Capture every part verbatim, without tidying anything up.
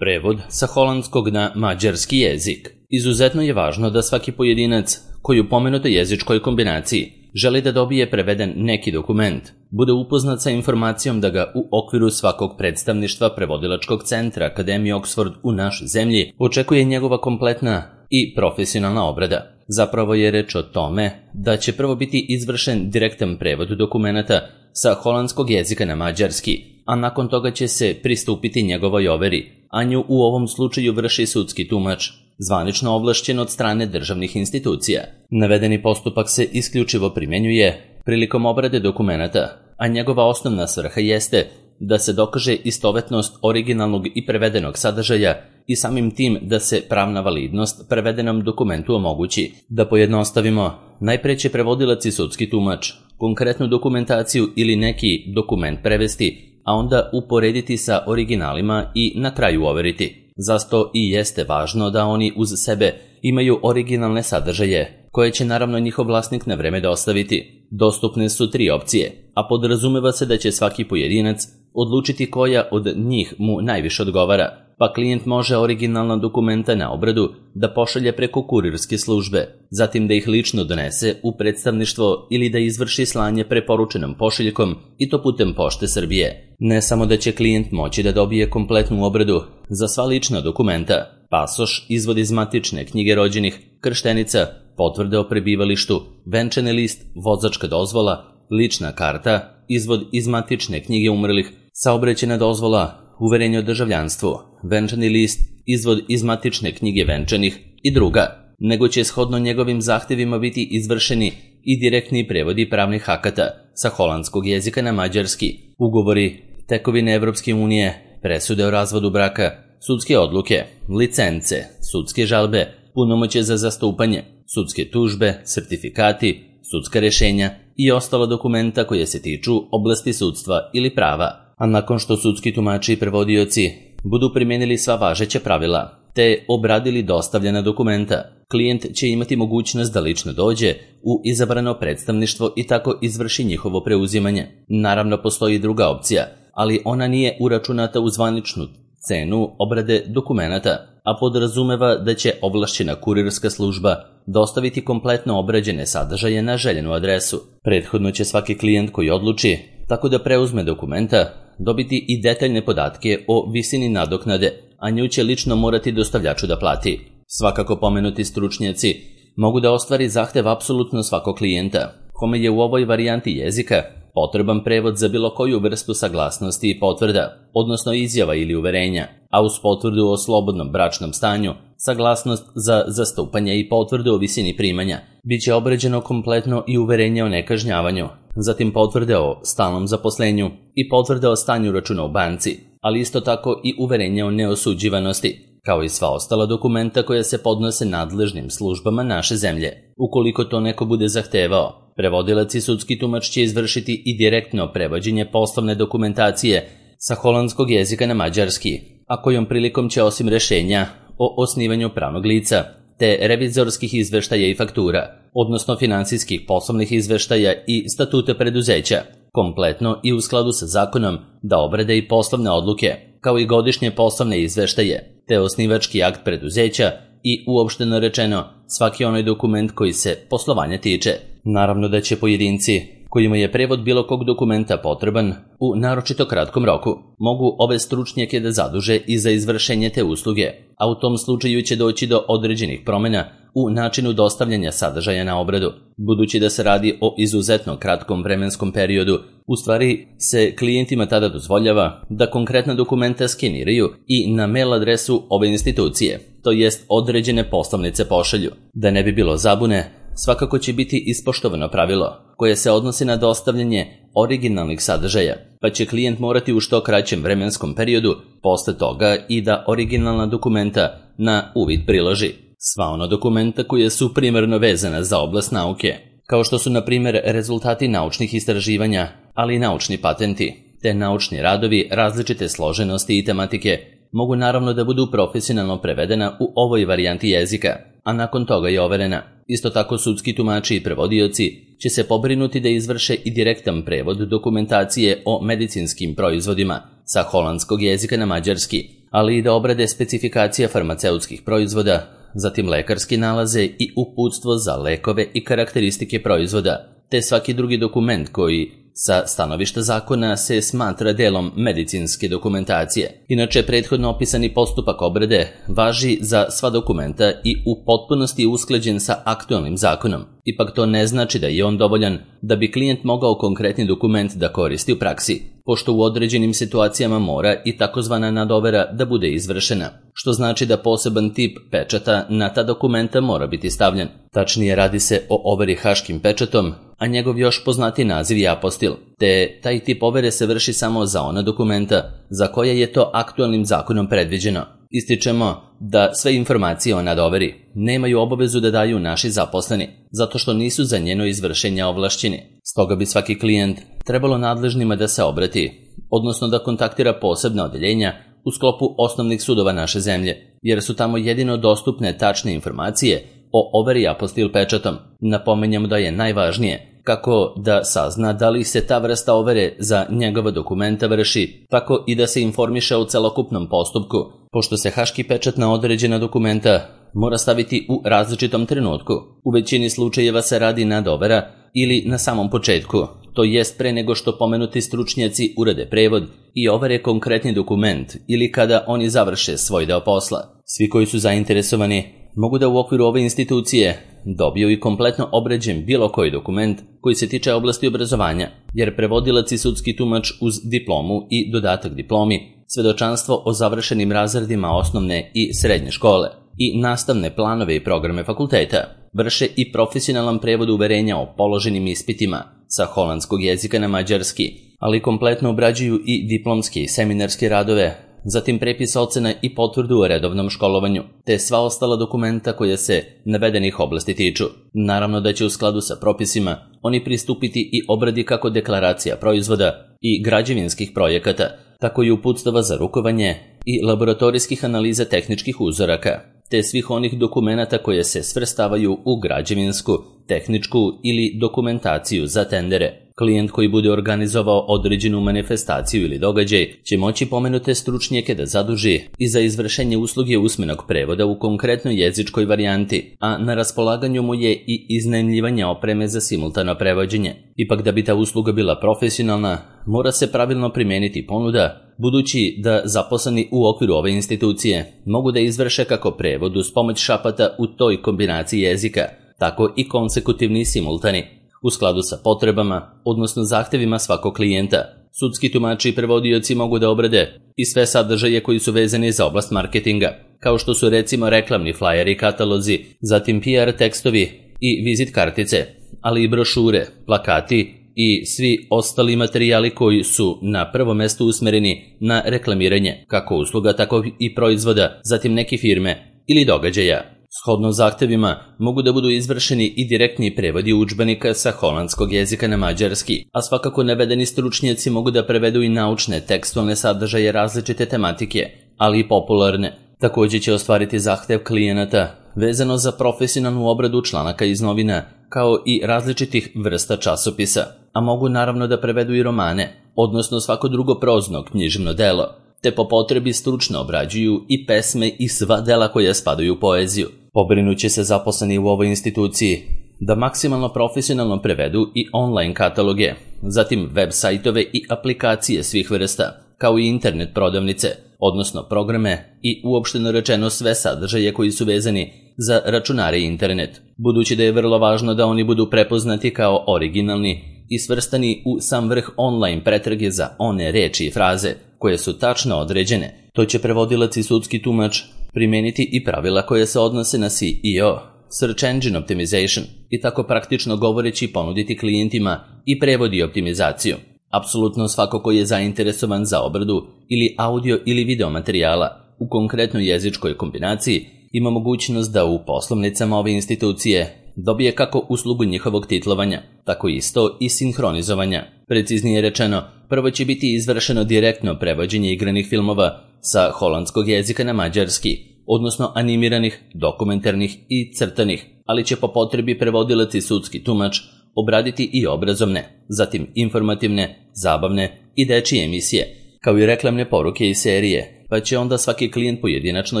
Prevod sa holandskog na mađarski jezik. Izuzetno je važno da svaki pojedinac koji u pomenutoj jezičkoj kombinaciji želi da dobije preveden neki dokument, bude upoznat sa informacijom da ga u okviru svakog predstavništva Prevodilačkog centra Akademije Oxford u našoj zemlji očekuje njegova kompletna i profesionalna obrada. Zapravo je reč o tome da će prvo biti izvršen direktan prevod dokumenata sa holandskog jezika na mađarski, a nakon toga će se pristupiti njegovoj overi, a nju u ovom slučaju vrši sudski tumač, zvanično ovlašćen od strane državnih institucija. Navedeni postupak se isključivo primjenjuje prilikom obrade dokumenata, a njegova osnovna svrha jeste da se dokaže istovetnost originalnog i prevedenog sadržaja i samim tim da se pravna validnost prevedenom dokumentu omogući. Da pojednostavimo, najpre će prevodilac i sudski tumač konkretnu dokumentaciju ili neki dokument prevesti, a onda uporediti sa originalima i na kraju overiti. Zato i jeste važno da oni uz sebe imaju originalne sadržaje, koje će naravno njihov vlasnik na vreme dostaviti. Dostupne su tri opcije, a podrazumeva se da će svaki pojedinac odlučiti koja od njih mu najviše odgovara, pa klijent može originalna dokumenta na obradu da pošalje preko kurirske službe, zatim da ih lično donese u predstavništvo ili da izvrši slanje preporučenom pošiljkom i to putem Pošte Srbije. Ne samo da će klijent moći da dobije kompletnu obradu za sva lična dokumenta, pasoš, izvod iz matične knjige rođenih, krštenica, potvrde o prebivalištu, venčani list, vozačka dozvola, lična karta, izvod iz matične knjige umrlih, saobraćajna dozvola, uverenje o državljanstvu, venčani list, izvod iz matične knjige venčanih i druga, nego će shodno njegovim zahtevima biti izvršeni i direktni prevodi pravnih akata sa holandskog jezika na mađarski, ugovori, tekovine Evropske unije, presude o razvodu braka, sudske odluke, licence, sudske žalbe, punomoćje za zastupanje, sudske tužbe, sertifikati, sudska rešenja i ostala dokumenta koje se tiču oblasti sudstva ili prava. A nakon što sudski tumači i prevodioci budu primijenili sva važeća pravila te obradili dostavljena dokumenta, klijent će imati mogućnost da lično dođe u izabrano predstavništvo i tako izvrši njihovo preuzimanje. Naravno, postoji druga opcija, ali ona nije uračunata u zvaničnu cenu obrade dokumenata, a podrazumeva da će ovlašćena kurirska služba dostaviti kompletno obrađene sadržaje na željenu adresu. Prethodno će svaki klijent koji odluči tako da preuzme dokumenta dobiti i detaljne podatke o visini nadoknade, a nju će lično morati dostavljaču da plati. Svakako pomenuti stručnjaci mogu da ostvari zahtev apsolutno svakog klijenta, kome je u ovoj varijanti jezika potreban prevod za bilo koju vrstu saglasnosti i potvrda, odnosno izjava ili uverenja, a uz potvrdu o slobodnom bračnom stanju, saglasnost za zastupanje i potvrdu o visini primanja, bit će obrađeno kompletno i uverenje o nekažnjavanju, zatim potvrde o stalnom zaposlenju i potvrde o stanju računa u banci, ali isto tako i uverenje o neosuđivanosti, kao i sva ostala dokumenta koja se podnose nadležnim službama naše zemlje. Ukoliko to neko bude zahtevao, prevodilac i sudski tumač će izvršiti i direktno prevođenje poslovne dokumentacije sa holandskog jezika na mađarski, a kojom prilikom će osim rešenja o osnivanju pravnog lica, te revizorskih izveštaja i faktura, odnosno finansijskih poslovnih izveštaja i statuta preduzeća, kompletno i u skladu sa zakonom da obrade i poslovne odluke, kao i godišnje poslovne izveštaje, te osnivački akt preduzeća i uopšteno rečeno svaki onaj dokument koji se poslovanja tiče. Naravno da će pojedinci kojima je prevod bilo kog dokumenta potreban u naročito kratkom roku mogu ove stručnjake da zaduže i za izvršenje te usluge, a u tom slučaju će doći do određenih promjena u načinu dostavljanja sadržaja na obradu. Budući da se radi o izuzetno kratkom vremenskom periodu, u stvari se klijentima tada dozvoljava da konkretna dokumenta skeniraju i na mail adresu ove institucije, to jest određene poslovnice pošalju. Da ne bi bilo zabune, svakako će biti ispoštovano pravilo koje se odnosi na dostavljanje originalnih sadržaja, pa će klijent morati u što kraćem vremenskom periodu posle toga i da originalna dokumenta na uvid priloži. Sva ona dokumenta koje su primarno vezana za oblast nauke, kao što su na primjer rezultati naučnih istraživanja, ali i naučni patenti, te naučni radovi različite složenosti i tematike, mogu naravno da budu profesionalno prevedena u ovoj varijanti jezika, a nakon toga je overena. Isto tako sudski tumači i prevodioci će se pobrinuti da izvrše i direktan prevod dokumentacije o medicinskim proizvodima sa holandskog jezika na mađarski, ali i da obrade specifikacija farmaceutskih proizvoda, zatim lekarski nalaze i uputstvo za lekove i karakteristike proizvoda, te svaki drugi dokument koji sa stanovišta zakona se smatra delom medicinske dokumentacije. Inače, prethodno opisani postupak obrade važi za sva dokumenta i u potpunosti je usklađen sa aktualnim zakonom. Ipak to ne znači da je on dovoljan da bi klijent mogao konkretni dokument da koristi u praksi, pošto u određenim situacijama mora i takozvana nadovera da bude izvršena, što znači da poseban tip pečata na ta dokumenta mora biti stavljen. Tačnije, radi se o overi haškim pečatom, a njegov još poznati naziv je apostil, te taj tip overe se vrši samo za ona dokumenta za koje je to aktualnim zakonom predviđeno. Ističemo da sve informacije o nadoveri nemaju obavezu da daju naši zaposleni, zato što nisu za njeno izvršenje ovlašćeni. Stoga bi svaki klijent trebalo nadležnima da se obrati, odnosno da kontaktira posebna odeljenja u sklopu osnovnih sudova naše zemlje, jer su tamo jedino dostupne tačne informacije o overi apostil pečatom. Napominjamo da je najvažnije kako da sazna da li se ta vrsta overe za njegova dokumenta vrši, tako i da se informiše o celokupnom postupku, pošto se haški pečat na određena dokumenta mora staviti u različitom trenutku. U većini slučajeva se radi nadovera ili na samom početku, to jest pre nego što pomenuti stručnjaci urade prevod i overe konkretni dokument ili kada oni završe svoj deo posla. Svi koji su zainteresovani mogu da u okviru ove institucije dobiju i kompletno obrađen bilo koji dokument koji se tiče oblasti obrazovanja, jer prevodilac i sudski tumač uz diplomu i dodatak diplomi, svedočanstvo o završenim razredima osnovne i srednje škole i nastavne planove i programe fakulteta, vrše i profesionalan prevod uverenja o položenim ispitima sa holandskog jezika na mađarski, ali kompletno obrađuju i diplomske i seminarske radove, zatim prepis ocena i potvrdu o redovnom školovanju, te sva ostala dokumenta koja se navedenih oblasti tiču. Naravno da će u skladu sa propisima oni pristupiti i obradi kako deklaracija proizvoda i građevinskih projekata, tako i uputstava za rukovanje i laboratorijskih analiza tehničkih uzoraka, te svih onih dokumenata koje se svrstavaju u građevinsku, tehničku ili dokumentaciju za tendere. Klijent koji bude organizovao određenu manifestaciju ili događaj će moći pomenute stručnjake da zaduži i za izvršenje usluge usmenog prevoda u konkretnoj jezičkoj varijanti, a na raspolaganju mu je i iznajmljivanje opreme za simultano prevođenje. Ipak da bi ta usluga bila profesionalna, mora se pravilno primeniti ponuda, budući da zaposleni u okviru ove institucije mogu da izvrše kako prevod uz pomoć šapata u toj kombinaciji jezika, tako i konsekutivni simultani, u skladu sa potrebama, odnosno zahtevima svakog klijenta. Sudski tumači i prevodioci mogu da obrade i sve sadržaje koji su vezani za oblast marketinga, kao što su recimo reklamni flajeri i katalozi, zatim P R tekstovi i vizit kartice, ali i brošure, plakati i svi ostali materijali koji su na prvo mesto usmereni na reklamiranje, kako usluga, tako i proizvoda, zatim neke firme ili događaja. Shodno zahtevima mogu da budu izvršeni i direktni prevodi udžbenika sa holandskog jezika na mađarski, a svakako navedeni stručnjaci mogu da prevedu i naučne tekstualne sadržaje različite tematike, ali i popularne. Također će ostvariti zahtev klijenata vezano za profesionalnu obradu članaka iz novina, kao i različitih vrsta časopisa, a mogu naravno da prevedu i romane, odnosno svako drugo prozno književno delo, te po potrebi stručno obrađuju i pesme i sva dela koja spadaju u poeziju. Pobrinuće se zaposleni u ovoj instituciji da maksimalno profesionalno prevedu i online kataloge, zatim web sajtove i aplikacije svih vrsta, kao i internet prodavnice, odnosno programe i uopšteno rečeno sve sadržaje koji su vezani za računare i internet, budući da je vrlo važno da oni budu prepoznati kao originalni i svrstani u sam vrh online pretrage za one reči i fraze koje su tačno određene. To će prevodilac i sudski tumač primeniti i pravila koje se odnose na S E O, Search Engine Optimization, i tako praktično govoreći ponuditi klijentima i prevod i optimizaciju. Apsolutno svako ko je zainteresovan za obradu ili audio ili video materijala u konkretnoj jezičkoj kombinaciji ima mogućnost da u poslovnicama ove institucije dobije kako uslugu njihovog titlovanja, tako isto i sinhronizovanja. Preciznije rečeno, prvo će biti izvršeno direktno prevođenje igranih filmova sa holandskog jezika na mađarski, odnosno animiranih, dokumentarnih i crtanih, ali će po potrebi prevodilac i sudski tumač obraditi i obrazovne, zatim informativne, zabavne i dečije emisije, kao i reklamne poruke i serije, pa će onda svaki klijent pojedinačno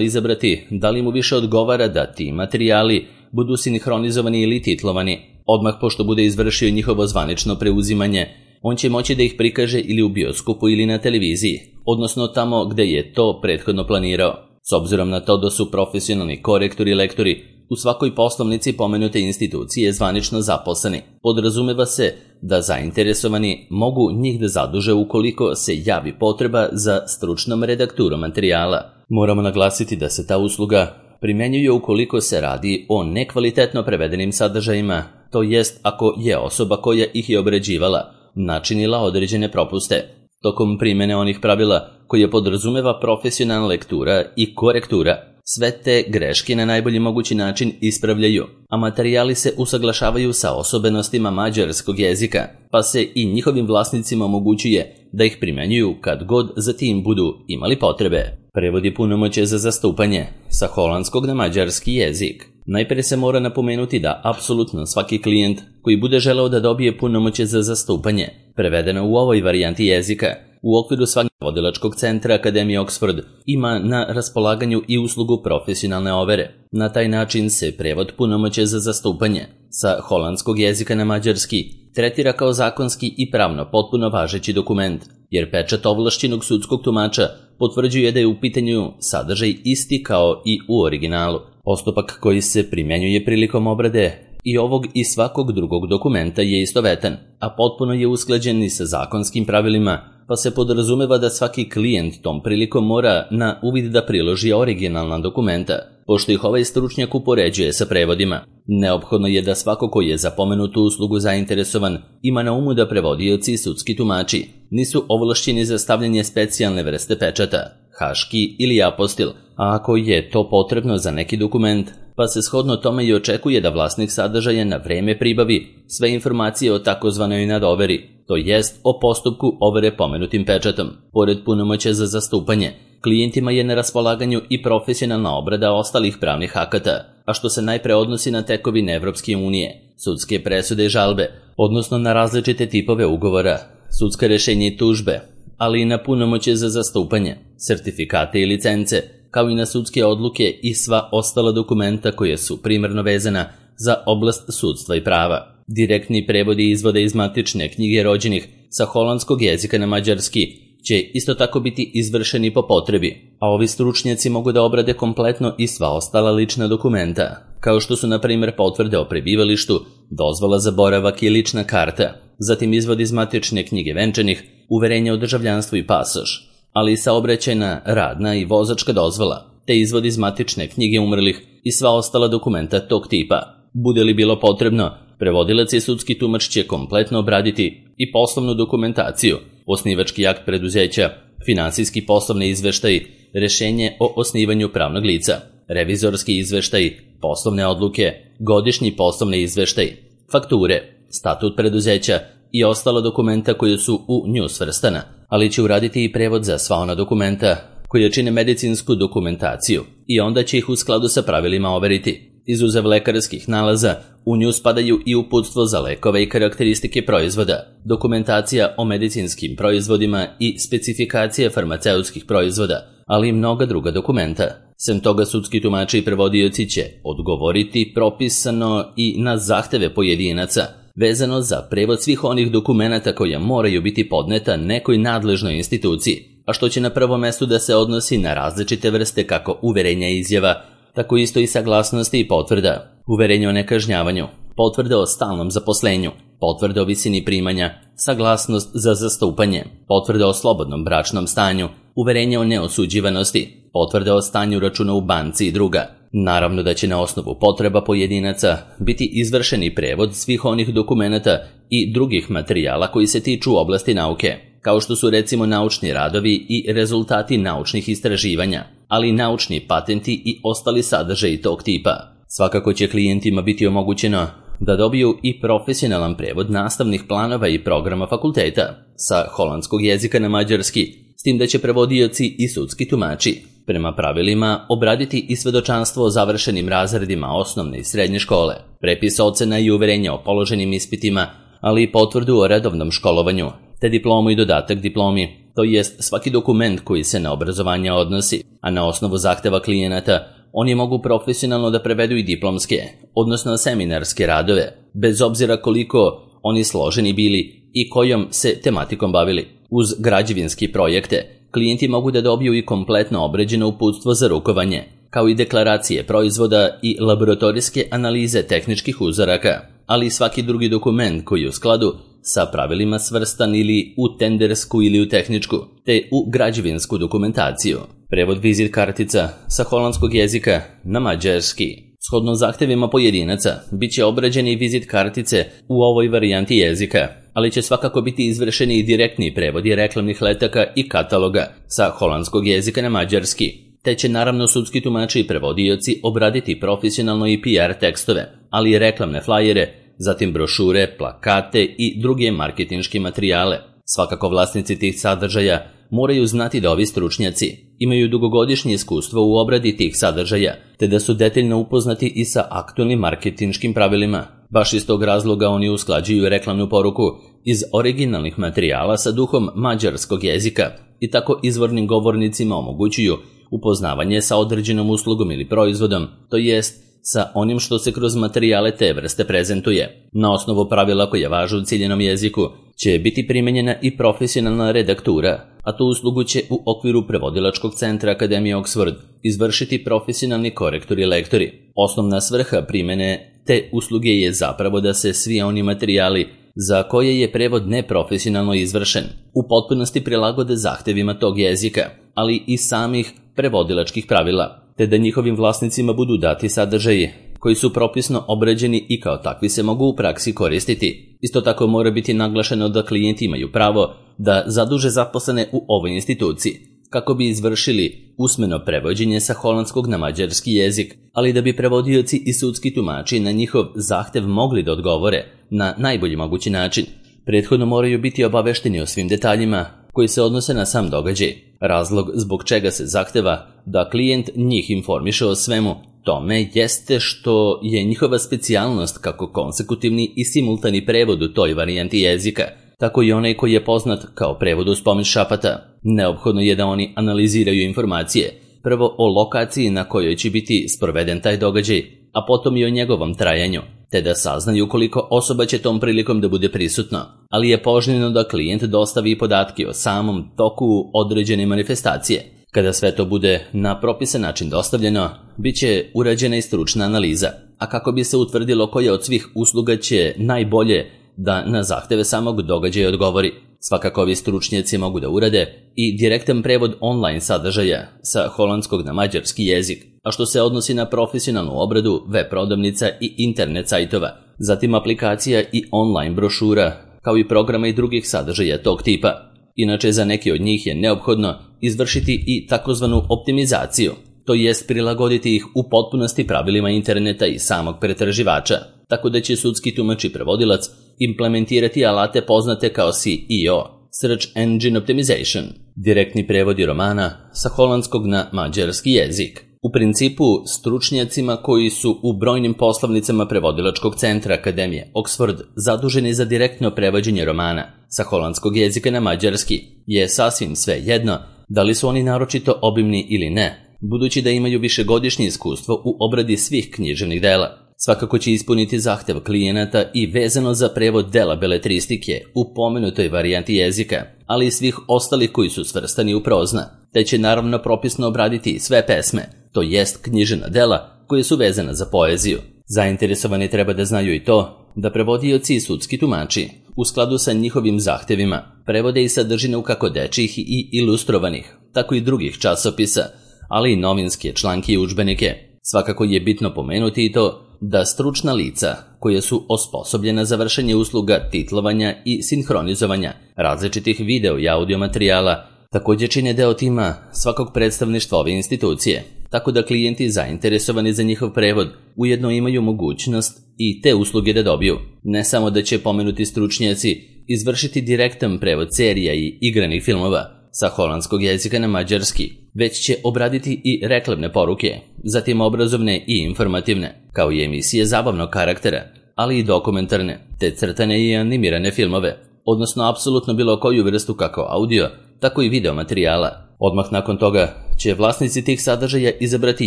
izabrati da li mu više odgovara da ti materijali budu sinhronizovani ili titlovani. Odmah pošto bude izvršio njihovo zvanično preuzimanje, on će moći da ih prikaže ili u bioskopu ili na televiziji, odnosno tamo gde je to prethodno planirao. S obzirom na to da su profesionalni korektori i lektori u svakoj poslovnici pomenute institucije zvanično zaposleni, podrazumeva se da zainteresovani mogu njih da zaduže ukoliko se javi potreba za stručnom redakturom materijala. Moramo naglasiti da se ta usluga primenjuje ukoliko se radi o nekvalitetno prevedenim sadržajima, to jest ako je osoba koja ih je obrađivala načinila određene propuste. Tokom primene onih pravila koje podrazumeva profesionalna lektura i korektura, sve te greške na najbolji mogući način ispravljaju, a materijali se usaglašavaju sa osobenostima mađarskog jezika, pa se i njihovim vlasnicima omogućuje da ih primenjuju kad god za tim budu imali potrebe. Prevod je punomoćje za zastupanje sa holandskog na mađarski jezik. Najpre se mora napomenuti da apsolutno svaki klijent koji bude želeo da dobije punomoćje za zastupanje, prevedeno u ovoj varijanti jezika, u okviru svakog vodilačkog centra Akademije Oxford ima na raspolaganju i uslugu profesionalne overe. Na taj način se prevod punomoćja za zastupanje sa holandskog jezika na mađarski tretira kao zakonski i pravno potpuno važeći dokument, jer pečat ovlašćenog sudskog tumača potvrđuje da je u pitanju sadržaj isti kao i u originalu. Postupak koji se primjenjuje prilikom obrade i ovog i svakog drugog dokumenta je istovetan, a potpuno je usklađen i sa zakonskim pravilima, pa se podrazumeva da svaki klijent tom prilikom mora na uvid da priloži originalna dokumenta, pošto ih ovaj stručnjak upoređuje sa prevodima. Neophodno je da svako ko je za pomenutu uslugu zainteresovan ima na umu da prevodioci i sudski tumači nisu ovlašćeni za stavljanje specijalne vrste pečata, haški ili apostil, a ako je to potrebno za neki dokument, pa se shodno tome i očekuje da vlasnik sadržaja na vreme pribavi sve informacije o takozvanoj nadoveri, to jest o postupku overe pomenutim pečatom. Pored punomoćja za zastupanje, klijentima je na raspolaganju i profesionalna obrada ostalih pravnih akata, a što se najpre odnosi na tekovine Evropske unije, sudske presude i žalbe, odnosno na različite tipove ugovora, sudska rešenja i tužbe, ali i na punomoćje za zastupanje, sertifikate i licence, kao i na sudske odluke i sva ostala dokumenta koje su primarno vezana za oblast sudstva i prava. Direktni prevodi izvoda iz matične knjige rođenih sa holandskog jezika na mađarski će isto tako biti izvršeni po potrebi, a ovi stručnjaci mogu da obrade kompletno i sva ostala lična dokumenta, kao što su na primjer potvrde o prebivalištu, dozvola za boravak i lična karta, zatim izvod iz matične knjige venčanih, uverenje o državljanstvu i pasoš, ali i saobraćajna, radna i vozačka dozvola, te izvod iz matične knjige umrlih i sva ostala dokumenta tog tipa. Bude li bilo potrebno, prevodilac i sudski tumač će kompletno obraditi i poslovnu dokumentaciju, osnivački akt preduzeća, finansijski poslovni izveštaj, rešenje o osnivanju pravnog lica, revizorski izveštaj, poslovne odluke, godišnji poslovni izveštaj, fakture, statut preduzeća i ostala dokumenta koje su u nju svrstana, ali će uraditi i prevod za sva ona dokumenta koje čine medicinsku dokumentaciju i onda će ih u skladu sa pravilima overiti. Izuzev lekarskih nalaza, u nju spadaju i uputstvo za lekove i karakteristike proizvoda, dokumentacija o medicinskim proizvodima i specifikacija farmaceutskih proizvoda, ali i mnoga druga dokumenta. Sem toga, sudski tumači i prevodioci će odgovoriti propisano i na zahteve pojedinaca, vezano za prevod svih onih dokumenata koja moraju biti podneta nekoj nadležnoj instituciji, a što će na prvom mestu da se odnosi na različite vrste kako uverenja i izjava, tako isto i saglasnosti i potvrda, uverenje o nekažnjavanju, potvrde o stalnom zaposlenju, potvrde o visini primanja, saglasnost za zastupanje, potvrde o slobodnom bračnom stanju, uverenje o neosuđivanosti, potvrde o stanju računa u banci i druga. Naravno da će na osnovu potreba pojedinaca biti izvršeni prevod svih onih dokumenata i drugih materijala koji se tiču oblasti nauke, kao što su recimo naučni radovi i rezultati naučnih istraživanja, ali i naučni patenti i ostali sadržaji tog tipa. Svakako će klijentima biti omogućeno da dobiju i profesionalan prevod nastavnih planova i programa fakulteta sa holandskog jezika na mađarski, s tim da će prevodioci i sudski tumači prema pravilima obraditi i svedočanstvo o završenim razredima osnovne i srednje škole, prepis ocena i uverenja o položenim ispitima, ali i potvrdu o redovnom školovanju, te diplomu i dodatak diplomi, to jest svaki dokument koji se na obrazovanje odnosi, a na osnovu zahteva klijenata oni mogu profesionalno da prevedu i diplomske, odnosno seminarske radove, bez obzira koliko oni složeni bili i kojom se tematikom bavili. Uz građevinski projekte, klijenti mogu da dobiju i kompletno obrađeno uputstvo za rukovanje, kao i deklaracije proizvoda i laboratorijske analize tehničkih uzoraka, ali i svaki drugi dokument koji je u skladu sa pravilima svrstan ili u tendersku ili u tehničku, te u građevinsku dokumentaciju. Prevod vizit kartica sa holandskog jezika na mađarski. Shodno zahtevima pojedinaca, bit će obrađeni vizit kartice u ovoj varijanti jezika, ali će svakako biti izvršeni i direktni prevodi reklamnih letaka i kataloga sa holandskog jezika na mađarski, te će naravno sudski tumači i prevodioci obraditi profesionalno i P R tekstove, ali i reklamne flajere, zatim brošure, plakate i druge marketinške materijale. Svakako vlasnici tih sadržaja moraju znati da ovi stručnjaci imaju dugogodišnje iskustvo u obradi tih sadržaja, te da su detaljno upoznati i sa aktualnim marketinškim pravilima. Baš iz tog razloga oni usklađuju reklamnu poruku iz originalnih materijala sa duhom mađarskog jezika i tako izvornim govornicima omogućuju upoznavanje sa određenom uslugom ili proizvodom, to jest sa onim što se kroz materijale te vrste prezentuje. Na osnovu pravila koje važe u ciljenom jeziku će biti primenjena i profesionalna redaktura, a tu uslugu će u okviru prevodilačkog centra Akademije Oxford izvršiti profesionalni korektori i lektori. Osnovna svrha primene te usluge je zapravo da se svi oni materijali za koje je prevod neprofesionalno izvršen u potpunosti prilagode zahtevima tog jezika, ali i samih prevodilačkih pravila, te da njihovim vlasnicima budu dati sadržaji koji su propisno obrađeni i kao takvi se mogu u praksi koristiti. Isto tako mora biti naglašeno da klijenti imaju pravo da zaduže zaposlene u ovoj instituciji kako bi izvršili usmeno prevođenje sa holandskog na mađarski jezik, ali da bi prevodioci i sudski tumači na njihov zahtev mogli da odgovore na najbolji mogući način. Prethodno moraju biti obavešteni o svim detaljima koji se odnose na sam događaj. Razlog zbog čega se zahteva da klijent njih informiše o svemu tome jeste što je njihova specijalnost kako konsekutivni i simultani prevod u toj varijanti jezika, tako i onaj koji je poznat kao prevod uz pomoć šapata. Neophodno je da oni analiziraju informacije, prvo o lokaciji na kojoj će biti sproveden taj događaj, a potom i o njegovom trajanju, te da saznaju koliko osoba će tom prilikom da bude prisutno, ali je poželjno da klijent dostavi podatke o samom toku određene manifestacije. Kada sve to bude na propisan način dostavljeno, bit će urađena i stručna analiza, a kako bi se utvrdilo koja od svih usluga će najbolje da na zahteve samog događaja odgovori. Svakako ovi stručnjaci mogu da urade i direktan prevod online sadržaja sa holandskog na mađarski jezik, a što se odnosi na profesionalnu obradu web prodavnica i internet sajtova, zatim aplikacija i online brošura, kao i programa i drugih sadržaja tog tipa. Inače, za neki od njih je neophodno izvršiti i takozvanu optimizaciju, to jest prilagoditi ih u potpunosti pravilima interneta i samog pretraživača, tako da će sudski tumač i prevodilac implementirati alate poznate kao S E O, Search Engine Optimization, direktni prevodi romana sa holandskog na mađarski jezik. U principu, stručnjacima koji su u brojnim poslovnicama prevodilačkog centra Akademije Oxford zaduženi za direktno prevođenje romana sa holandskog jezika na mađarski je sasvim sve jedno da li su oni naročito obimni ili ne, budući da imaju višegodišnje iskustvo u obradi svih književnih dela. Svakako će ispuniti zahtev klijenata i vezano za prevod dela beletristike u pomenutoj varijanti jezika, ali i svih ostalih koji su svrstani u prozna, te će naravno propisno obraditi sve pesme, to jest književna dela koje su vezana za poeziju. Zainteresovani treba da znaju i to da prevodioci i sudski tumači u skladu sa njihovim zahtevima prevode i sadržinu kako dečjih i ilustrovanih, tako i drugih časopisa, ali i novinske članke i udžbenike. Svakako je bitno pomenuti i to da stručna lica koje su osposobljena za vršenje usluga titlovanja i sinhronizovanja različitih video i audio materijala također čine deo tima svakog predstavništva ove institucije, tako da klijenti zainteresovani za njihov prevod ujedno imaju mogućnost i te usluge da dobiju. Ne samo da će pomenuti stručnjaci izvršiti direktan prevod serija i igranih filmova sa holandskog jezika na mađarski, već će obraditi i reklamne poruke, zatim obrazovne i informativne, kao i emisije zabavnog karaktera, ali i dokumentarne, te crtane i animirane filmove, odnosno apsolutno bilo koju vrstu kako audio, tako i video materijala. Odmah nakon toga će vlasnici tih sadržaja izabrati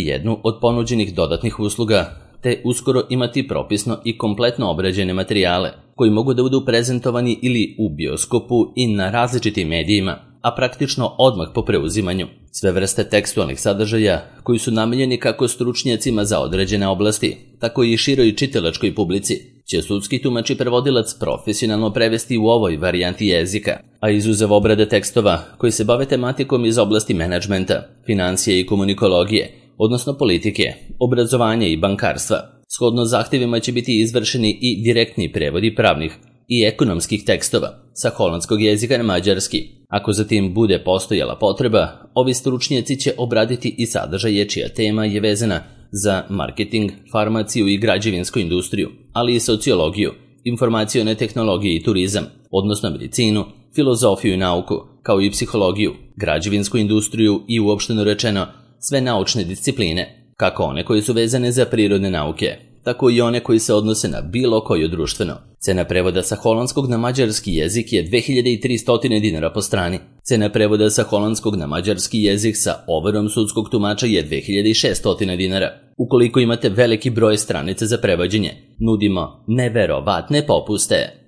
jednu od ponuđenih dodatnih usluga, te uskoro imati propisno i kompletno obrađene materijale, koji mogu da budu prezentovani ili u bioskopu i na različitim medijima, a praktično odmah po preuzimanju. Sve vrste tekstualnih sadržaja, koji su namenjeni kako stručnjacima za određene oblasti, tako i široj čitalačkoj publici, će sudski tumač i prevodilac profesionalno prevesti u ovoj varijanti jezika, a izuzev obrade tekstova koji se bave tematikom iz oblasti menadžmenta, financije i komunikologije, odnosno politike, obrazovanja i bankarstva, shodno zahtjevima će biti izvršeni i direktni prevodi pravnih i ekonomskih tekstova sa holandskog jezika na mađarski. Ako zatim bude postojala potreba, ovi stručnjaci će obraditi i sadržaje čija tema je vezana za marketing, farmaciju i građevinsku industriju, ali i sociologiju, informacione tehnologije i turizam, odnosno medicinu, filozofiju i nauku, kao i psihologiju, građevinsku industriju i uopšteno rečeno sve naučne discipline, kako one koje su vezane za prirodne nauke, tako i one koji se odnose na bilo koju društveno. Cena prevoda sa holandskog na mađarski jezik je dve hiljade tristo dinara po strani. Cena prevoda sa holandskog na mađarski jezik sa overom sudskog tumača je dve hiljade šesto dinara. Ukoliko imate veliki broj stranica za prevođenje, nudimo neverovatne popuste.